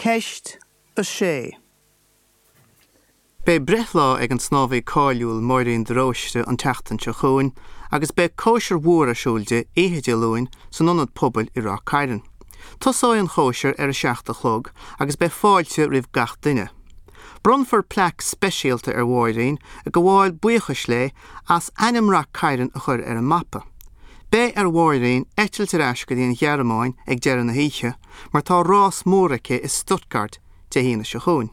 Ceist 6. Beidh breithlá ag an snámhaí cáiliúil Máirín de Róiste an tseachtain seo chugainn agus beidh cóisir mhór ar siúl di oíche Dé Luain san Ionad Pobail i Ráth Cairn. Tosóidh an chóisir ar a 7 a chlog agus beidh fáilte roimh gach duine. Bronnfar plaic speisialta ar Mháirín ag gabháil buíochais léi as ainm Rath Cairn a chur ar an mapa. Beidh ar Mháirín eitilt ar ais go dtí an Ghearmáin ag deireadh na hoíche mar tá rás mór aici i Stuttgart Dé hAoine seo chugainn.